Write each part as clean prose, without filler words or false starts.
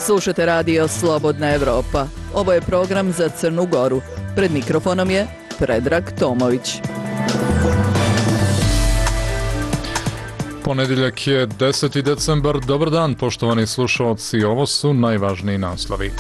Slušate radio Slobodna Evropa. Ovo je program za Crnu Goru. Pred mikrofonom je Predrag Tomović. Ponedjeljak je 10. decembar. Dobar dan, poštovani slušalci. Ovo su najvažniji naslovi.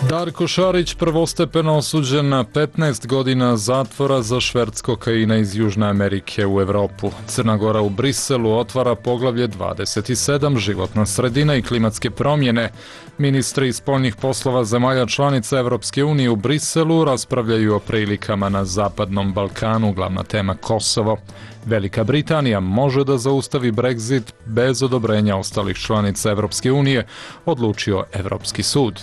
Darko Šarić prvostepeno osuđen na 15 godina zatvora za šverc kokaina iz Južne Amerike u Evropu. Crna Gora u Briselu otvara poglavlje 27, životna sredina i klimatske promjene. Ministri spoljnih poslova zemalja članica Evropske unije u Briselu raspravljaju o prilikama na Zapadnom Balkanu, glavna tema Kosovo. Velika Britanija može da zaustavi Brexit bez odobrenja ostalih članica Evropske unije, odlučio Evropski sud.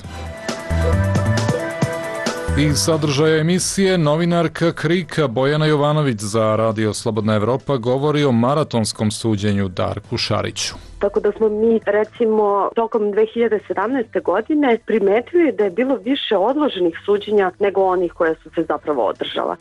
Iz sadržaja emisije novinarka KRIK-a Bojana Jovanović za Radio Slobodna Evropa govori o maratonskom suđenju Darku Šariću. Tako da smo mi, recimo, tokom 2017. godine primetili da je bilo više odloženih suđenja nego onih koje su se zapravo održala.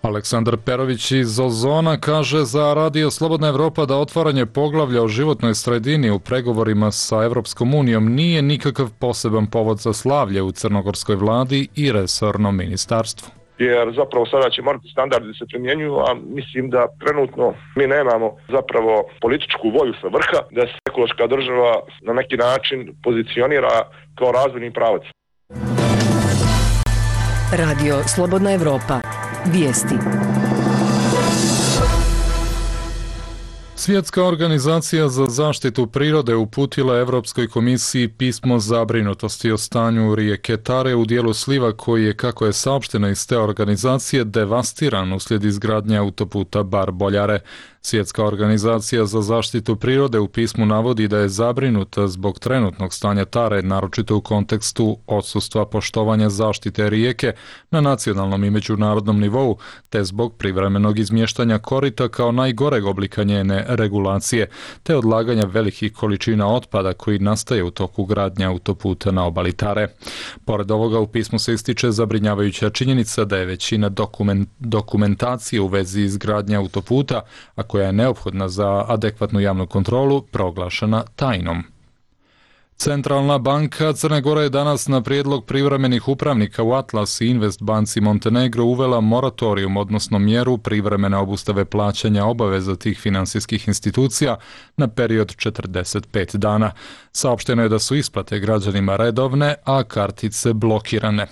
Aleksandar Perović iz Ozona kaže za Radio Slobodna Evropa da otvaranje poglavlja o životnoj sredini u pregovorima sa Evropskom unijom nije nikakav poseban povod za slavlje u crnogorskoj vladi i resornom ministarstvu. Jer zapravo sada će morati standardi se primjenjuju, a mislim da trenutno mi nemamo zapravo političku volju sa vrha da se ekološka država na neki način pozicionira kao razvojni pravac. Radio Slobodna Evropa. Vijesti. Svjetska organizacija za zaštitu prirode uputila Evropskoj komisiji pismo zabrinutosti o stanju rijeke Tare u dijelu sliva koji je, kako je saopšteno iz te organizacije, devastiran uslijed izgradnje autoputa Bar-Boljare. Svjetska organizacija za zaštitu prirode u pismu navodi da je zabrinuta zbog trenutnog stanja Tare, naročito u kontekstu odsustva poštovanja zaštite rijeke na nacionalnom i međunarodnom nivou, te zbog privremenog izmještanja korita kao najgoreg oblika njene regulacije, te odlaganja velikih količina otpada koji nastaje u toku gradnje autoputa na obali Tare. Pored ovoga u pismu se ističe zabrinjavajuća činjenica da je većina dokumentacije u vezi izgradnje autoputa, a koja je neophodna za adekvatnu javnu kontrolu, proglašena tajnom. Centralna banka Crne Gore je danas na prijedlog privremenih upravnika u Atlas i Invest banci Montenegro uvela moratorijum, odnosno mjeru privremene obustave plaćanja obaveza tih finansijskih institucija na period 45 dana. Saopšteno je da su isplate građanima redovne, a kartice blokirane.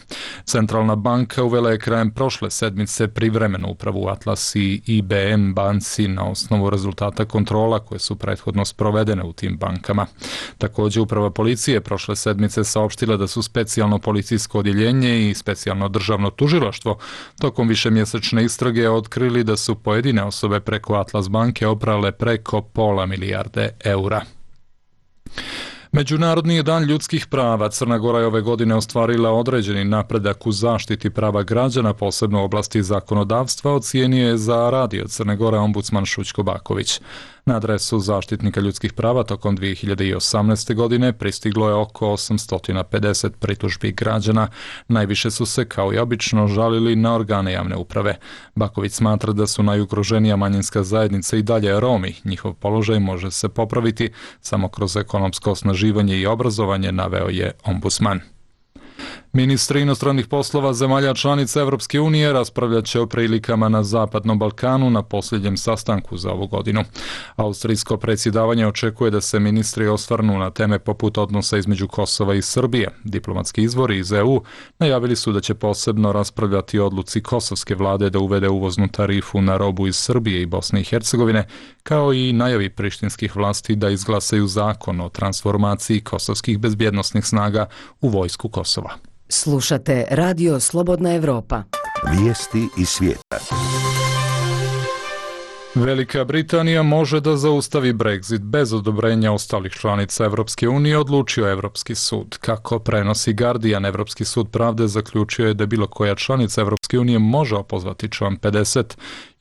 Centralna banka uvela je krajem prošle sedmice privremenu upravu Atlas i IBM banci na osnovu rezultata kontrola koje su prethodno sprovedene u tim bankama. Također uprava policije prošle sedmice saopštila da su specijalno policijsko odjeljenje i specijalno državno tužilaštvo tokom višemjesečne istrage otkrili da su pojedine osobe preko Atlas banke oprale preko pola milijarde eura. Međunarodni je dan ljudskih prava. Crna Gora je ove godine ostvarila određeni napredak u zaštiti prava građana, posebno u oblasti zakonodavstva, ocijenio je za Radio Crne Gore ombudsman Šućko Baković. Na adresu zaštitnika ljudskih prava tokom 2018. godine pristiglo je oko 850 pritužbi građana. Najviše su se, kao i obično, žalili na organe javne uprave. Baković smatra da su najugroženija manjinska zajednica i dalje Romi. Njihov položaj može se popraviti samo kroz ekonomsko osnaživanje i obrazovanje, naveo je ombudsman. Ministri inostranih poslova zemalja članica Evropske unije raspravljat će o prilikama na Zapadnom Balkanu na posljednjem sastanku za ovu godinu. Austrijsko predsjedavanje očekuje da se ministri osvrnu na teme poput odnosa između Kosova i Srbije. Diplomatski izvori iz EU najavili su da će posebno raspravljati o odluci kosovske vlade da uvede uvoznu tarifu na robu iz Srbije i Bosne i Hercegovine, kao i najavi prištinskih vlasti da izglasaju zakon o transformaciji kosovskih bezbjednosnih snaga u vojsku Kosova. Slušate Radio Slobodna Evropa. Vijesti iz svijeta. Velika Britanija može da zaustavi Brexit bez odobrenja ostalih članica Evropske unije, odlučio Evropski sud. Kako prenosi Guardian, Evropski sud pravde zaključio je da bilo koja članica Evropske unije može opozvati član 50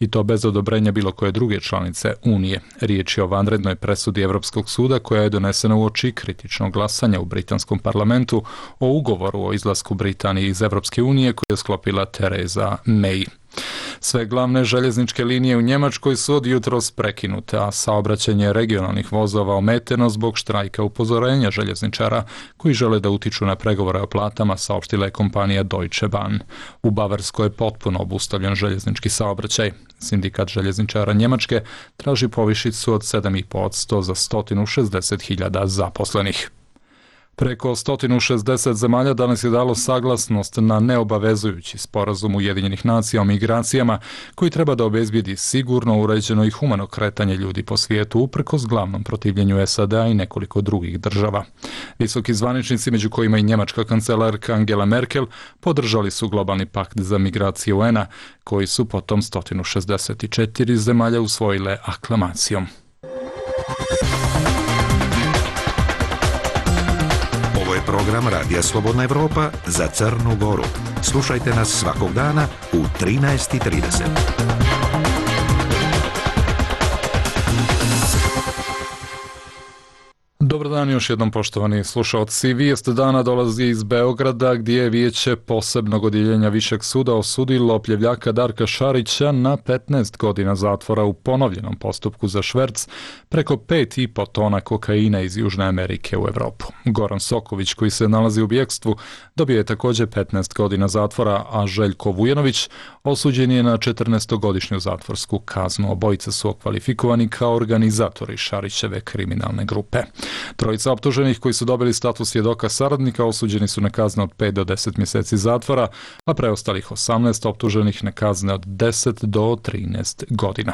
i to bez odobrenja bilo koje druge članice Unije. Riječ je o vanrednoj presudi Evropskog suda koja je donesena uoči kritičnog glasanja u britanskom parlamentu o ugovoru o izlasku Britanije iz Evropske unije koje je sklopila Theresa May. Sve glavne željezničke linije u Njemačkoj su od jutros prekinute, a saobraćanje regionalnih vozova ometeno zbog štrajka upozorenja željezničara koji žele da utiču na pregovore o platama, saopštila je kompanija Deutsche Bahn. U Bavarskoj je potpuno obustavljen željeznički saobraćaj. Sindikat željezničara Njemačke traži povišicu od 7,5% za 160.000 zaposlenih. Preko 160 zemalja danas je dalo saglasnost na neobavezujući sporazum Ujedinjenih nacija o migracijama koji treba da obezbijedi sigurno, uređeno i humano kretanje ljudi po svijetu uprkos glavnom protivljenju SAD-a i nekoliko drugih država. Visoki zvaničnici, među kojima i njemačka kancelarka Angela Merkel, podržali su globalni pakt za migracije UN-a, koji su potom 164 zemalja usvojile aklamacijom. Program Radija Slobodna Evropa za Crnu Goru. Slušajte nas svakog dana u 13:30. Dobar dan još jednom, poštovani slušalci. Vijest dana dolazi iz Beograda, gdje je Vijeće posebnog odjeljenja Višeg suda osudilo opljevljaka Darka Šarića na 15 godina zatvora u ponovljenom postupku za šverc preko 5,5 tona kokaina iz Južne Amerike u Evropu. Goran Soković, koji se nalazi u bjekstvu, dobio je također 15 godina zatvora, a Željko Vujanović osuđen je na 14-godišnju zatvorsku kaznu. Obojica su okvalifikovani kao organizatori Šarićeve kriminalne grupe. Trojica optuženih koji su dobili status svjedoka saradnika osuđeni su na kazne od 5 do 10 mjeseci zatvora, a preostalih 18 optuženih na kazne od 10 do 13 godina.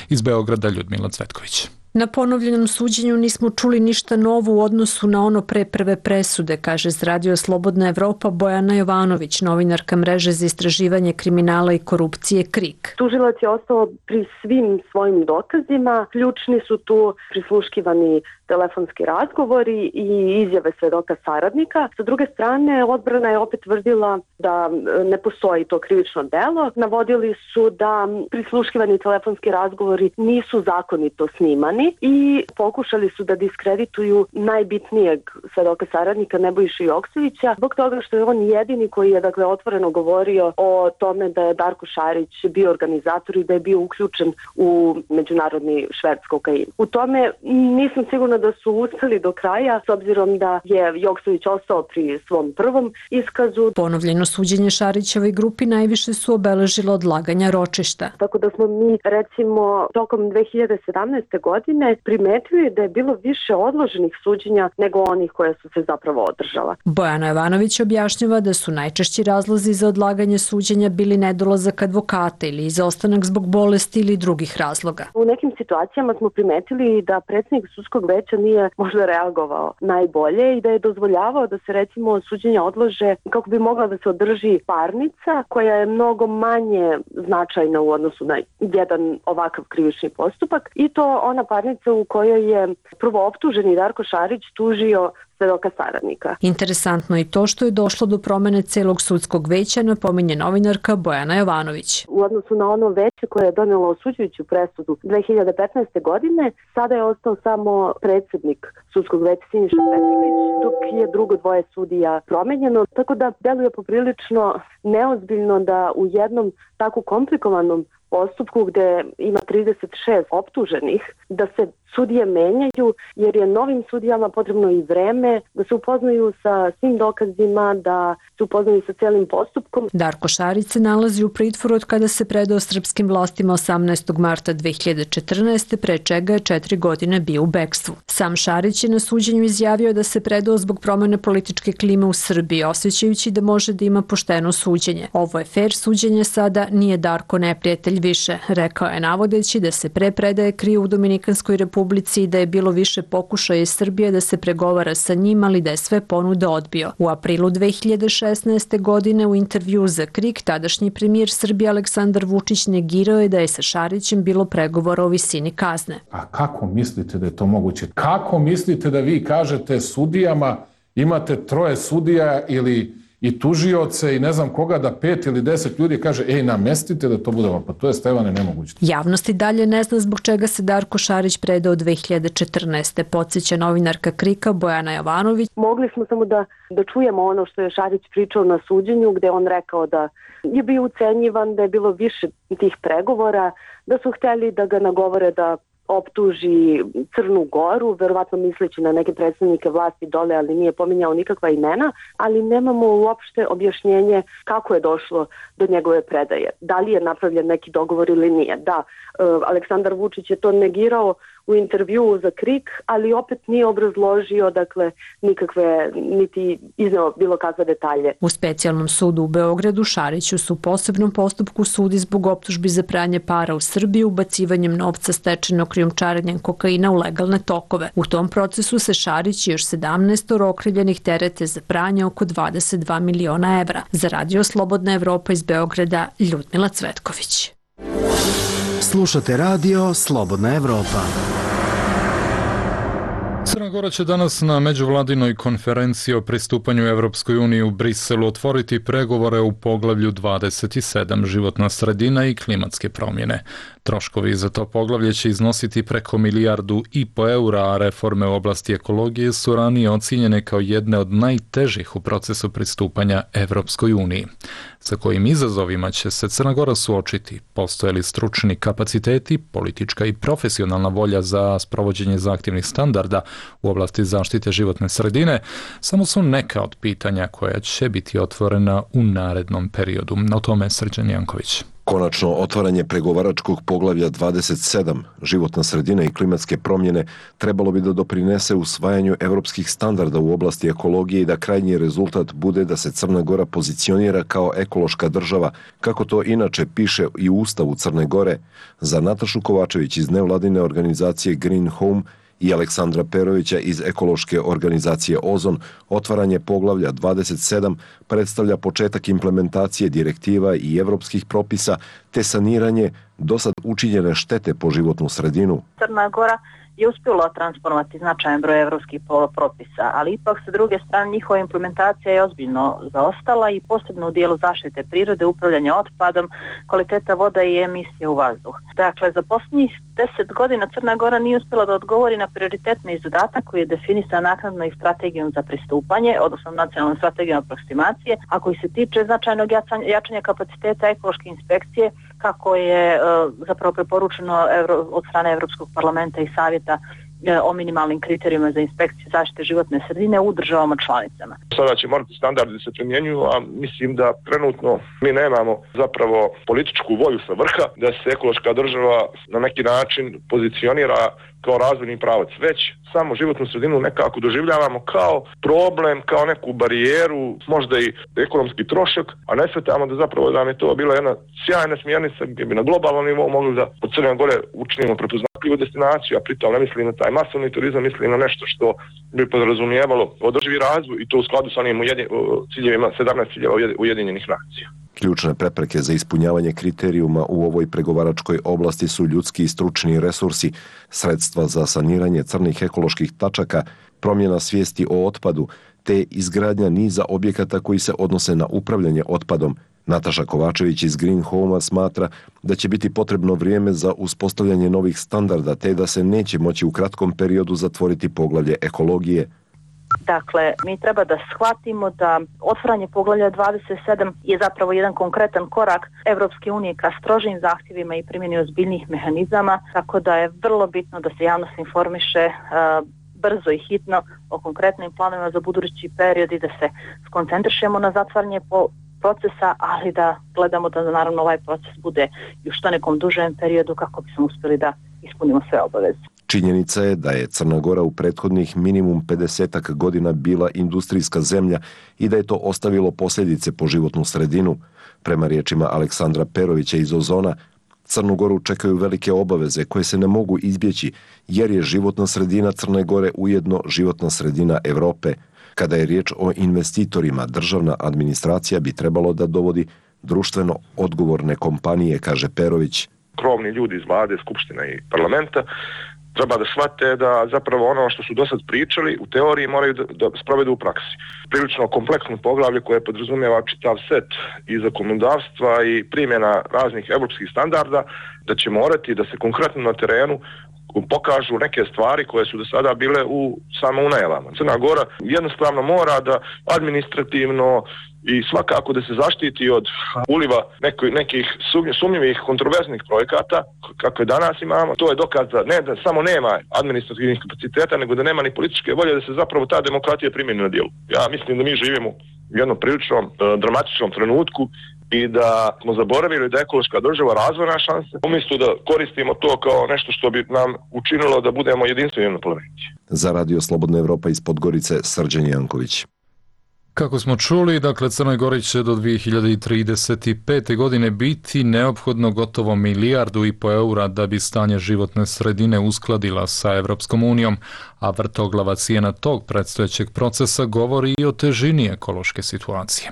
Iz Beograda Ljudmila Cvetković. Na ponovljenom suđenju nismo čuli ništa novo u odnosu na ono pre prve presude, kaže z Radio Slobodna Evropa Bojana Jovanović, novinarka mreže za istraživanje kriminala i korupcije KRIK. Tužilac je ostao pri svim svojim dokazima. Ključni su tu prisluškivani telefonski razgovori i izjave svedoka saradnika. Sa druge strane, odbrana je opet tvrdila da ne postoji to krivično delo. Navodili su da prisluškivani telefonski razgovori nisu zakonito snimani i pokušali su da diskredituju najbitnijeg svedoka saradnika Nebojšu Joksevića zbog toga što je on jedini koji je otvoreno govorio o tome da je Darko Šarić bio organizator i da je bio uključen u međunarodni šverc kokaina. U tome nisam sigurna da su uspeli do kraja, s obzirom da je Joksević ostao pri svom prvom iskazu. Ponovljeno suđenje Šarićevoj grupi najviše su obeležilo odlaganja ročišta. Tako da smo mi, recimo, tokom 2017. godine primetili da je bilo više odloženih suđenja nego onih koje su se zapravo održala. Bojana Jovanović objašnjava da su najčešći razlozi za odlaganje suđenja bili nedolazak advokata ili izostanak zbog bolesti ili drugih razloga. U nekim situacijama smo primetili da predsjednik sudskog veća nije možda reagovao najbolje i da je dozvoljavao da se recimo suđenja odlože kako bi mogla da se održi parnica koja je mnogo manje značajna u odnosu na jedan ovakav krivični postupak i to ona parnica u kojoj je prvo optuženi Darko Šarić tužio svedoka saradnika. Interesantno je to što je došlo do promene celog sudskog veća, napominje novinarka Bojana Jovanović. U odnosu na ono veće koje je donijelo osuđujuću presudu 2015. godine, sada je ostao samo predsjednik sudskog veća Siniša Petrović, dok je drugo dvoje sudija promenjeno, tako da deluje poprilično neozbiljno da u jednom tako komplikovanom postupku gdje ima 36 optuženih, da se sudije menjaju, jer je novim sudijama potrebno i vreme da se upoznaju sa svim dokazima, da se upoznaju sa cijelim postupkom. Darko Šarić se nalazi u pritvoru od kada se predao srpskim vlastima 18. marta 2014. pre čega je 4 godine bio u bekstvu. Sam Šarić je na suđenju izjavio da se predao zbog promjene političke klime u Srbiji, osjećajući da može da ima pošteno suđenje. Ovo je fair suđenje sada, nije Darko neprijatelj više, rekao je navodeći da se pre predaje krio u Dominikanskoj Republici i da je bilo više pokušaja iz Srbije da se pregovara sa njim, ali da je sve ponude odbio. U aprilu 2016. godine u intervju za KRIK tadašnji premijer Srbije Aleksandar Vučić negirao je da je sa Šarićem bilo pregovora o visini kazne. A kako mislite da je to moguće? Kako mislite da vi kažete sudijama, imate 3 sudija ili i tužioce i ne znam koga da 5 ili 10 ljudi kaže ej namestite da to bude ovako. Pa to je Stevane nemoguće. Javnost i dalje ne zna zbog čega se Darko Šarić predao 2014. Podsjeća novinarka KRIK-a Bojana Jovanović. Mogli smo samo da čujemo ono što je Šarić pričao na suđenju, gde on rekao da je bio ucenjivan, da je bilo više tih pregovora, da su hteli da ga nagovore da optuži Crnu Goru, verovatno misleći na neke predstavnike vlasti dole, ali nije pominjao nikakva imena, ali nemamo uopšte objašnjenje kako je došlo do njegove predaje. Da li je napravljen neki dogovor ili nije. Da, Aleksandar Vučić je to negirao u intervjuu za KRIK, ali opet nije obrazložio, dakle, nikakve, niti izneo bilo kakve detalje. U specijalnom sudu u Beogradu Šariću su u posebnom postupku sudi zbog optužbi za pranje para u Srbiji ubacivanjem novca stečenog krijumčarenjem kokaina u legalne tokove. U tom procesu se Šarić i još 17 okrivljenih terete za pranje oko 22 miliona evra. Za Radio Slobodna Evropa iz Beograda, Ljudmila Cvetković. Slušate Radio Slobodna Evropa. Crna Gora će danas na međuvladinoj konferenciji o pristupanju Evropskoj uniji u Briselu otvoriti pregovore u poglavlju 27 životna sredina i klimatske promjene. Troškovi za to poglavlje će iznositi preko 1,5 milijardu eura, a reforme u oblasti ekologije su ranije ocijenjene kao jedne od najtežih u procesu pristupanja Evropskoj uniji. Sa kojim izazovima će se Crna Gora suočiti? Postoje li stručni kapaciteti, politička i profesionalna volja za sprovođenje zahtjevnih standarda u oblasti zaštite životne sredine? Samo su neka od pitanja koja će biti otvorena u narednom periodu. O tome Srđan Janković. Konačno otvaranje pregovaračkog poglavlja 27 životna sredina i klimatske promjene trebalo bi da doprinese usvajanju evropskih standarda u oblasti ekologije i da krajnji rezultat bude da se Crna Gora pozicionira kao ekološka država, kako to inače piše i u Ustavu Crne Gore. Za Natašu Kovačević iz nevladine organizacije Green Home i Aleksandra Perovića iz ekološke organizacije Ozon, otvaranje poglavlja 27 predstavlja početak implementacije direktiva i evropskih propisa te saniranje dosad učinjene štete po životnu sredinu. Crna Gora je uspjela transponovati značajan broj evropskih propisa, ali ipak sa druge strane njihova implementacija je ozbiljno zaostala i posebno u dijelu zaštite prirode, upravljanja otpadom, kvaliteta voda i emisije u vazduh. Dakle, za posljednjih 10 godina Crna Gora nije uspjela da odgovori na prioritetni zadatak koji je definisan naknadno i strategijom za pristupanje, odnosno nacionalnom strategijom aproksimacije, a koji se tiče značajnog jačanja kapaciteta ekološke inspekcije, kako je zapravo preporučeno od strane Evropskog parlamenta i savjeta o minimalnim kriterijima za inspekciju zaštite životne sredine u državama članicama. Sada će morati standardi se primjenjuju, a mislim da trenutno mi nemamo zapravo političku volju sa vrha da se ekološka država na neki način pozicionira kao razvojni pravac, već samo životnu sredinu nekako doživljavamo kao problem, kao neku barijeru, možda i ekonomski trošak, a ne shvatamo da zapravo da nam je to bila jedna sjajna smjernica gdje bi na globalnom nivou mogli da od Crne Gore učinimo prepoznatljivu destinaciju, a pritom ne mislim na taj masovni turizam, mislim na nešto što bi podrazumijevalo održivi razvoj i to u skladu sa onim ciljevima 17 ciljeva Ujedinjenih nacija. Ključne prepreke za ispunjavanje kriterijuma u ovoj pregovaračkoj oblasti su ljudski i stručni resursi, sredstva za saniranje crnih ekoloških tačaka, promjena svijesti o otpadu, te izgradnja niza objekata koji se odnose na upravljanje otpadom. Nataša Kovačević iz Green Home smatra da će biti potrebno vrijeme za uspostavljanje novih standarda, te da se neće moći u kratkom periodu zatvoriti poglavlje ekologije. Dakle, mi treba da shvatimo da otvaranje poglavlja 27 je zapravo jedan konkretan korak Evropske unije ka strožim zahtjevima i primjeni ozbiljnih mehanizama, tako da je vrlo bitno da se javnost informiše brzo i hitno o konkretnim planovima za budući period i da se skoncentrišemo na zatvaranje procesa, ali da gledamo da naravno ovaj proces bude i u što nekom dužem periodu kako bismo uspjeli da ispunimo sve obaveze. Činjenica je da je Crna Gora u prethodnih minimum 50 godina bila industrijska zemlja i da je to ostavilo posljedice po životnu sredinu. Prema riječima Aleksandra Perovića iz Ozona, Crnu Goru čekaju velike obaveze koje se ne mogu izbjeći jer je životna sredina Crne Gore ujedno životna sredina Evrope. Kada je riječ o investitorima, državna administracija bi trebalo da dovodi društveno odgovorne kompanije, kaže Perović. Krovni ljudi iz vlade, skupština i parlamenta treba da shvate da zapravo ono što su do sad pričali u teoriji moraju da sprovedu u praksi. Prilično kompleksno poglavlje koje podrazumijeva čitav set i zakonodavstva i primjena raznih evropskih standarda, da će morati da se konkretno na terenu pokažu neke stvari koje su do sada bile samo u najavama. Crna Gora jednostavno mora da administrativno i svakako da se zaštiti od uliva nekih sumnjivih kontroverznih projekata kakve danas imamo. To je dokaz da ne da samo nema administrativnih kapaciteta, nego da nema ni političke volje da se zapravo ta demokratija primjeni na djelu. Ja mislim da mi živimo u jednom prilično dramatičnom trenutku i da smo zaboravili da je ekološka država razvojna šansa, umjesto da koristimo to kao nešto što bi nam učinilo da budemo jedinstveni na planeti. Za Radio Slobodna Evropa iz Podgorice, Srđan Janković. Kako smo čuli, dakle Crnoj Gori će do 2035. godine biti neophodno gotovo 1,5 milijardu eura da bi stanje životne sredine uskladila sa Evropskom unijom, a vrtoglava cijena tog predstojećeg procesa govori i o težini ekološke situacije.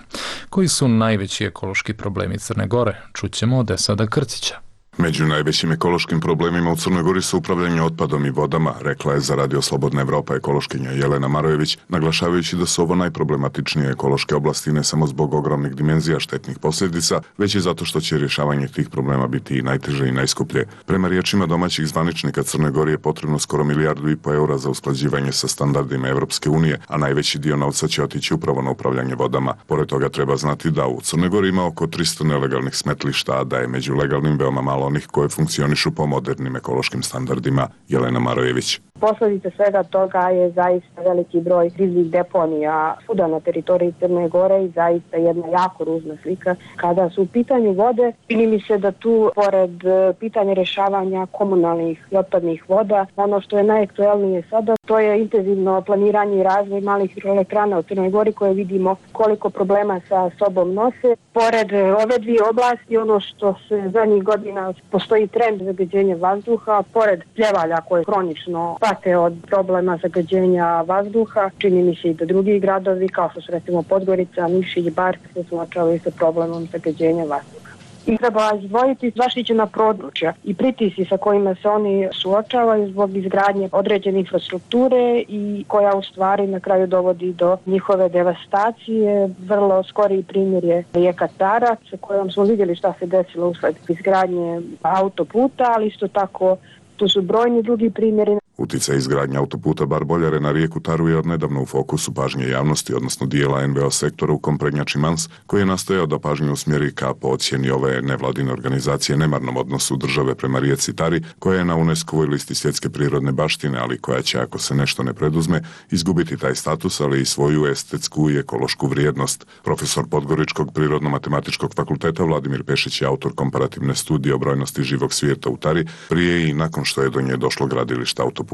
Koji su najveći ekološki problemi Crne Gore? Čućemo od Esada Krcića. Među najvećim ekološkim problemima u Crnoj Gori su upravljanje otpadom i vodama, rekla je za Radio Slobodna Evropa ekološkinja Jelena Marojević, naglašavajući da su ovo najproblematičnije ekološke oblasti ne samo zbog ogromnih dimenzija štetnih posljedica, već i zato što će rješavanje tih problema biti i najteže i najskuplje. Prema riječima domaćih zvaničnika Crnoj Gori je potrebno skoro 1,5 milijardu eura za usklađivanje sa standardima Evropske unije, a najveći dio novca će otići upravo na upravljanje vodama. Pored toga treba znati da u Crnoj Gori ima oko 300 nelegalnih smetlišta, a da je među legalnim veoma malo onih koje funkcionišu po modernim ekološkim standardima. Jelena Marojević. Posljedica svega toga je zaista veliki broj kriznih deponija svuda na teritoriji Crne Gore i zaista jedna jako ružna slika. Kada su u pitanju vode, čini mi se da tu, pored pitanja rješavanja komunalnih i otpadnih voda, ono što je najaktuelnije sada, to je intenzivno planiranje i razvoj malih hidroelektrana u Crnoj Gori koje vidimo koliko problema sa sobom nose. Pored ove dvije oblasti, ono što se zadnjih godina postoji trend zagađenja vazduha, pored pljevalja koje kronično pate od problema zagađenja vazduha, čini mi se i da drugi gradovi, kao što su recimo Podgorica, Niš i Bar, se suočavaju sa problemom zagađenja vazduha. I treba izdvojiti zaštićena područja i pritisci sa kojima se oni suočavaju zbog izgradnje određene infrastrukture i koja u stvari na kraju dovodi do njihove devastacije. Vrlo skori primjer je rijeka Tara, sa kojom smo vidjeli šta se desilo usled izgradnje autoputa, ali isto tako tu su brojni drugi primjeri. Uticaj izgradnje autoputa Bar-Boljare na rijeku Taru je odnedavno u fokusu pažnje javnosti, odnosno dijela NVO sektora u kom prednjači Mans, koji je nastojao da pažnju usmjeri ka po ocjeni ove nevladine organizacije nemarnom odnosu države prema rijeci Tari, koja je na UNESCO-voj listi svjetske prirodne baštine, ali koja će, ako se nešto ne preduzme, izgubiti taj status, ali i svoju estetsku i ekološku vrijednost. Profesor Podgoričkog prirodno-matematičkog fakulteta Vladimir Pešić je autor komparativne studije o brojnosti živog svijeta u Tari, prije i nakon što je do nje došlo gradilište autoputa.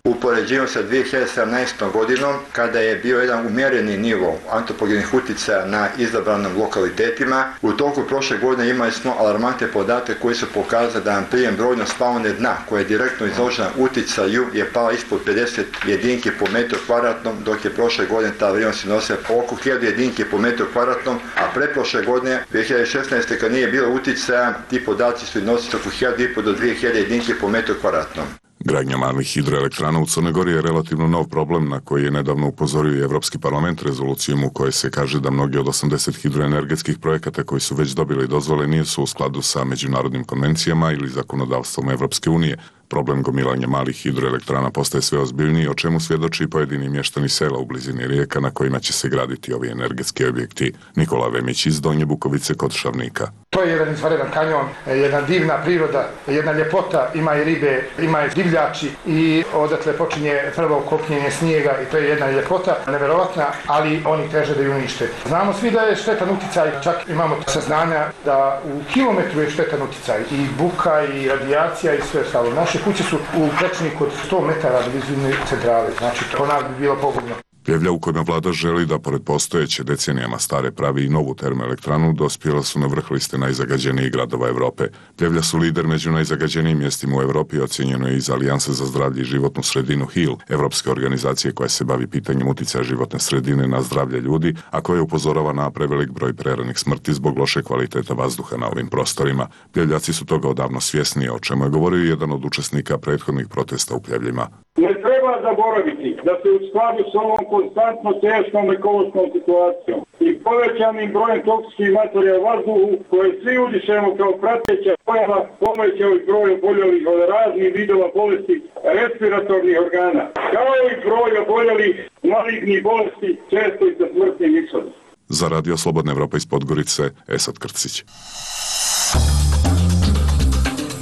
Upoređujemo sa 2017. godinom, kada je bio jedan umjereni nivo antropogenih utjecaja na izabranim lokalitetima. U toku prošle godine imali smo alarmantne podatke koji su pokazali da nam prijem brojnost faune dna, koja je direktno izložena utjecaju, je pala ispod 50 jedinki po metru kvadratnom, dok je prošle godine ta vrijednost iznosila oko 1000 jedinki po metru kvadratnom, a pretprošle godine, 2016. kad nije bilo utjecaja, ti podaci su iznosili oko 1500 do 2000 jedinki po metru kvadratnom. Gradnja malih hidroelektrana u Crnoj Gori je relativno nov problem na koji je nedavno upozorio i Evropski parlament rezolucijom u kojoj se kaže da mnogi od 80 hidroenergetskih projekata koji su već dobili dozvole nisu u skladu sa međunarodnim konvencijama ili zakonodavstvom Evropske unije. Problem gomilanja malih hidroelektrana postaje sve ozbiljniji, o čemu svjedoči pojedini mještani sela u blizini rijeka na kojima će se graditi ovi energetski objekti. Nikola Vemić iz Donje Bukovice kod Šavnika. To je jedan izvanredan kanjon, jedna divna priroda, jedna ljepota, ima i ribe, ima i divljači i odatle počinje prvo kopljenje snijega i to je jedna ljepota, neverovatna, ali oni teže da ju unište. Znamo svi da je štetan utjecaj, čak imamo saznanja da u kilometru je štetan utjecaj i buka i radijacija i sve ostalo. Naše kuće su u prečniku od 100 metara do blizine centrale, znači to nas bi bilo pogubno. Pljevlja u kojima vlada želi da pored postojeće decenijama stare pravi i novu termoelektranu dospjela su na vrh liste najzagađenijih gradova Evrope. Pljevlja su lider među najzagađenijim mjestima u Evropi, ocjenjeno je iz Alijanse za zdravlje i životnu sredinu HIL, evropske organizacije koja se bavi pitanjem uticaja životne sredine na zdravlje ljudi, a koja upozorava na prevelik broj preranih smrti zbog loše kvaliteta vazduha na ovim prostorima. Pljevljaci su toga odavno svjesni, o čemu je govorio jedan od učesnika prethodnih protesta u Pljevljima. Ne treba zaboraviti da se u skladu s ovom konstantno teškom ekološkom situacijom i povećanim brojem toksičnih materija u vazduhu koje svi udišemo kao prateća pojava povećao i broj oboljelih od raznih vidova bolesti respiratornih organa, kao i broj oboljelih malignih bolesti, često i sa smrtnim ishodom. Za Radio Slobodna Evropa iz Podgorice, Esad Krcić.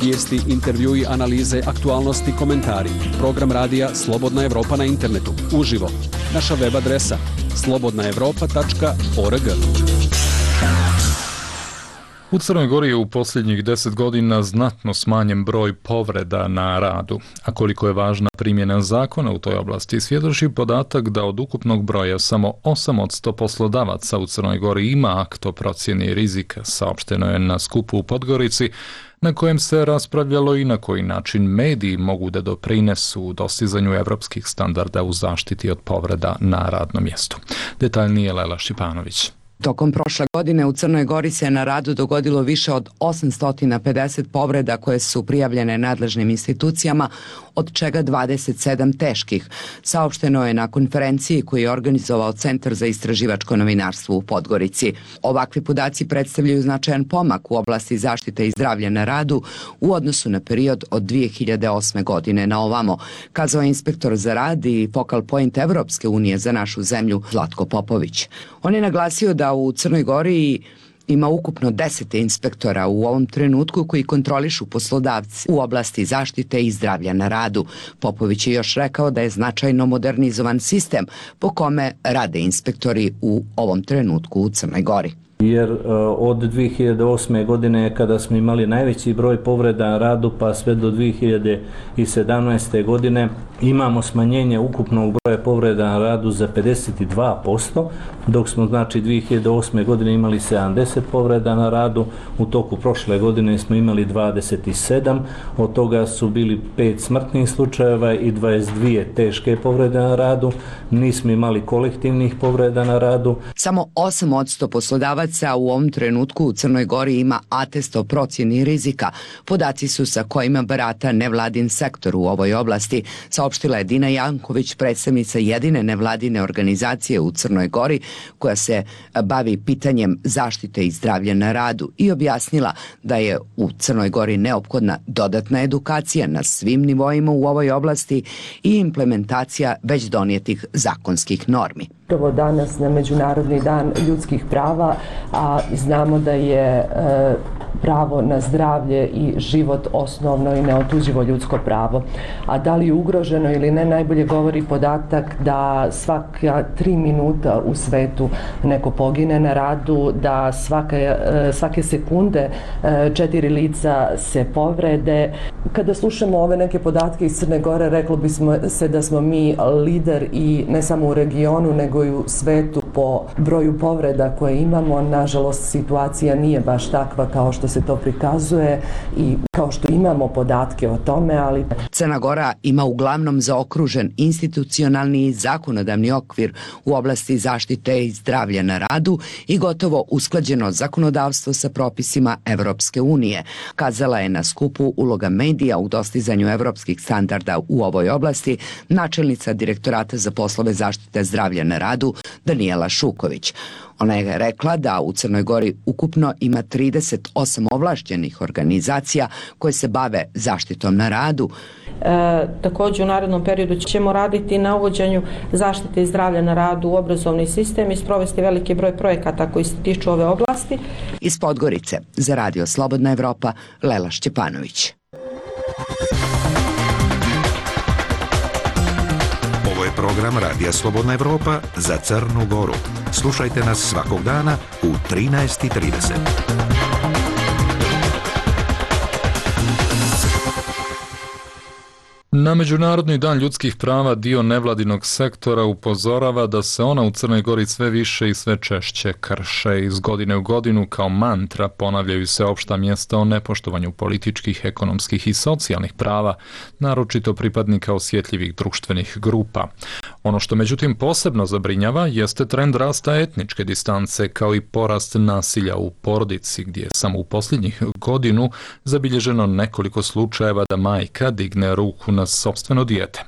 Vijesti, intervjui, analize, aktualnosti, komentari. Program radija Slobodna Evropa na internetu. Uživo. Naša web adresa slobodnaevropa.org. U Crnoj Gori je u posljednjih 10 godina znatno smanjen broj povreda na radu. A koliko je važna primjena zakona u toj oblasti, svjedoči podatak da od ukupnog broja samo 8% poslodavaca u Crnoj Gori ima akt o procjeni rizika, saopšteno je na skupu u Podgorici, na kojem se raspravljalo i na koji način mediji mogu da doprinesu u dostizanju evropskih standarda u zaštiti od povreda na radnom mjestu. Detaljnije Lela Šipanović. Tokom prošle godine u Crnoj Gori se na radu dogodilo više od 850 povreda koje su prijavljene nadležnim institucijama, od čega 27 teških. Saopšteno je na konferenciji koju je organizovao Centar za istraživačko novinarstvo u Podgorici. Ovakvi podaci predstavljaju značajan pomak u oblasti zaštite i zdravlja na radu u odnosu na period od 2008. godine na ovamo, kazao je inspektor za rad i focal point Evropske unije za našu zemlju Zlatko Popović. On je naglasio da u Crnoj Gori ima ukupno 10 inspektora u ovom trenutku koji kontrolišu poslodavci u oblasti zaštite i zdravlja na radu. Popović je još rekao da je značajno modernizovan sistem po kome rade inspektori u ovom trenutku u Crnoj Gori. Jer od 2008. godine kada smo imali najveći broj povreda na radu pa sve do 2017. godine imamo smanjenje ukupnog broja povreda na radu za 52%, dok smo znači 2008. godine imali 70 povreda na radu, u toku prošle godine smo imali 27, od toga su bili 5 smrtnih slučajeva i 22 teške povrede na radu, nismo imali kolektivnih povreda na radu. Samo 8% poslodavaca u ovom trenutku u Crnoj Gori ima atest o procjeni rizika. Podaci su sa kojima barata nevladin sektor u ovoj oblasti, saopštila je Dina Janković, predstavnica jedine nevladine organizacije u Crnoj Gori koja se bavi pitanjem zaštite i zdravlja na radu i objasnila da je u Crnoj Gori neophodna dodatna edukacija na svim nivoima u ovoj oblasti i implementacija već donijetih zakonskih normi. Prvo danas na Međunarodni dan ljudskih prava, a znamo da je pravo na zdravlje i život osnovno i neotuđivo ljudsko pravo. A da li je ugroženo ili ne, najbolje govori podatak da svaka 3 minuta u svetu neko pogine na radu, da svake sekunde 4 lica se povrede. Kada slušamo ove neke podatke iz Crne Gore, reklo bismo se da smo mi lider i ne samo u regionu, nego i u svetu po broju povreda koje imamo. Nažalost, situacija nije baš takva kao što se to prikazuje i kao što imamo podatke o tome, ali... Crna Gora ima uglavnom zaokružen institucionalni i zakonodavni okvir u oblasti zaštite i zdravlja na radu i gotovo usklađeno zakonodavstvo sa propisima Evropske unije. Kazala je na skupu uloga medija u dostizanju evropskih standarda u ovoj oblasti načelnica Direktorata za poslove zaštite zdravlja na radu Danijela Šuković. Ona je rekla da u Crnoj Gori ukupno ima 38 ovlašćenih organizacija koje se bave zaštitom na radu. Također u narednom periodu ćemo raditi na uvođenju zaštite i zdravlja na radu u obrazovni sistem i sprovesti veliki broj projekata koji se tiču ove oblasti. Iz Podgorice za Radio Slobodna Evropa, Lela Šćepanović. Ovo je program Radija Slobodna Evropa za Crnu Goru. Slušajte nas svakog dana u 13:30. Na Međunarodni dan ljudskih prava dio nevladinog sektora upozorava da se ona u Crnoj Gori sve više i sve češće krše. Iz godine u godinu kao mantra ponavljaju se opšta mjesta o nepoštovanju političkih, ekonomskih i socijalnih prava, naročito pripadnika osjetljivih društvenih grupa. Ono što međutim posebno zabrinjava jeste trend rasta etničke distance kao i porast nasilja u porodici, gdje je samo u posljednjih godinu zabilježeno nekoliko slučajeva da majka digne ruku na sopstveno dijete.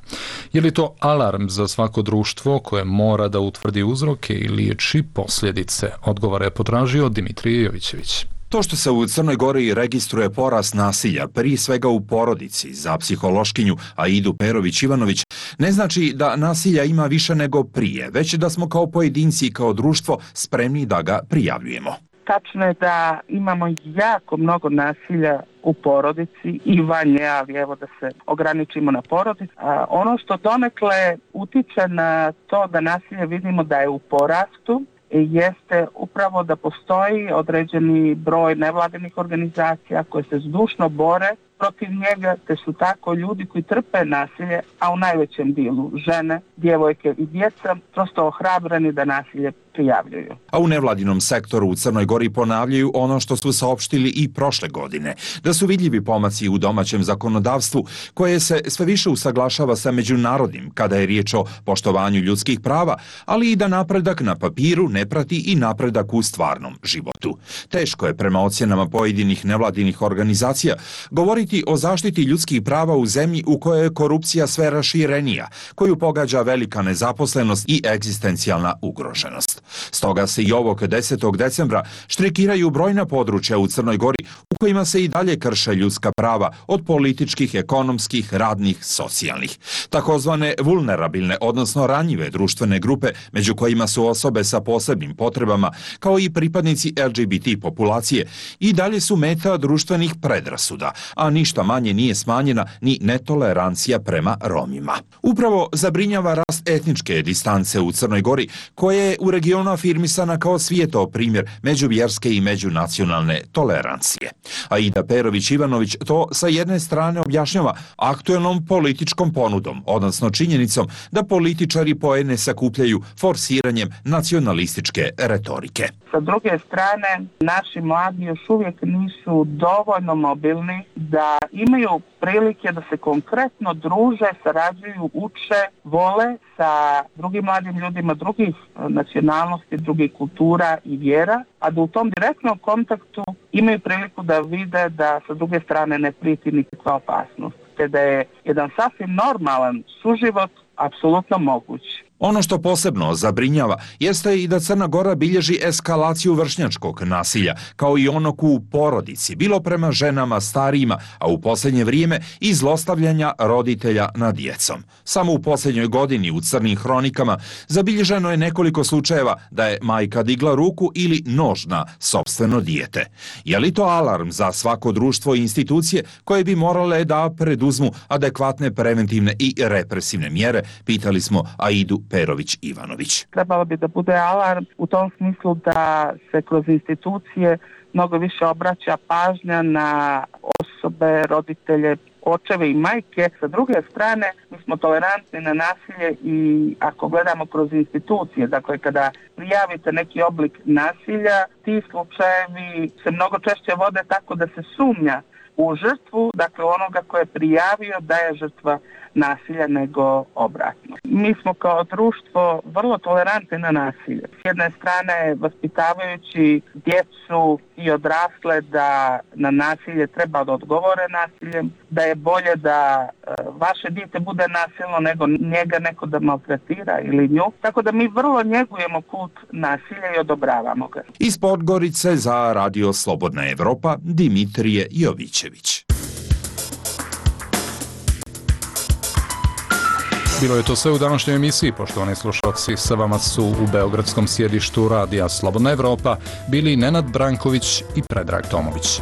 Je li to alarm za svako društvo koje mora da utvrdi uzroke i liječi posljedice? Odgovore je potražio Dimitrije Jovićević. To što se u Crnoj Gori registruje porast nasilja, prije svega u porodici, za psihološkinju Aidu Perović-Ivanović, ne znači da nasilja ima više nego prije, već da smo kao pojedinci i kao društvo spremni da ga prijavljujemo. Tačno je da imamo jako mnogo nasilja u porodici i van nje, ali evo da se ograničimo na porodicu. Ono što donekle utiče na to da nasilje vidimo da je u porastu, jeste upravo da postoji određeni broj nevladinih organizacija koje se zdušno bore protiv njega, te su tako ljudi koji trpe nasilje, a u najvećem dijelu žene, djevojke i djeca, prosto ohrabreni da nasilje prijavljuju. A u nevladinom sektoru u Crnoj Gori ponavljaju ono što su saopštili i prošle godine, da su vidljivi pomaci u domaćem zakonodavstvu koje se sve više usaglašava sa međunarodnim kada je riječ o poštovanju ljudskih prava, ali i da napredak na papiru ne prati i napredak u stvarnom životu. Teško je prema ocjenama pojedinih nevladinih organizacija govoriti o zaštiti ljudskih prava u zemlji u kojoj je korupcija sve raširenija, koju pogađa velika nezaposlenost i egzistencijalna ugroženost. Stoga se i ovog 10. decembra štrikiraju brojna područja u Crnoj Gori u kojima se i dalje krše ljudska prava od političkih, ekonomskih, radnih, socijalnih. Takozvane vulnerabilne, odnosno ranjive društvene grupe, među kojima su osobe sa posebnim potrebama, kao i pripadnici LGBT populacije, i dalje su meta društvenih predrasuda, a ništa manje nije smanjena ni netolerancija prema Romima. Upravo zabrinjava rast etničke distance u Crnoj Gori, koja je u regionu afirmisana kao svijetao primjer međuvjerske i međunacionalne tolerancije. Aida Perović-Ivanović to sa jedne strane objašnjava aktuelnom političkom ponudom, odnosno činjenicom da političari poene sakupljaju forsiranjem nacionalističke retorike. Sa druge strane, naši mladi još uvijek nisu dovoljno mobilni da imaju prilike da se konkretno druže, sarađuju, uče, vole sa drugim mladim ljudima drugih nacionalnosti, drugih kultura i vjera, a da u tom direktnom kontaktu imaju priliku da vide da sa druge strane ne prijeti nikakva opasnost, te da je jedan sasvim normalan suživot apsolutno moguć. Ono što posebno zabrinjava jeste i da Crna Gora bilježi eskalaciju vršnjačkog nasilja, kao i onog u porodici, bilo prema ženama, starijima, a u posljednje vrijeme i zlostavljanja roditelja nad djecom. Samo u posljednjoj godini u crnim hronikama zabilježeno je nekoliko slučajeva da je majka digla ruku ili nož na sopstveno dijete. Je li to alarm za svako društvo i institucije koje bi morale da preduzmu adekvatne preventivne i represivne mjere, pitali smo Aidu Perović-Ivanović. Trebalo bi da bude alarm u tom smislu da se kroz institucije mnogo više obraća pažnja na osobe, roditelje, očeve i majke. Sa druge strane, mi smo tolerantni na nasilje i ako gledamo kroz institucije, dakle kada prijavite neki oblik nasilja, ti slučajevi se mnogo češće vode tako da se sumnja u žrtvu, dakle onoga ko je prijavio da je žrtva nasilja nego obratno. Mi smo kao društvo vrlo tolerantni na nasilje. S jedne strane vaspitavajući djecu i odrasle da na nasilje treba da odgovore nasiljem, da je bolje da vaše dijete bude nasilno nego njega neko da maltretira ili nju. Tako da mi vrlo njegujemo kult nasilja i odobravamo ga. Iz Podgorice za Radio Slobodna Evropa, Dimitrije Jovićević. Bilo je to sve u današnjoj emisiji, poštovani slušalci. Sa vama su u beogradskom sjedištu Radija Slobodna Evropa bili Nenad Branković i Predrag Tomović.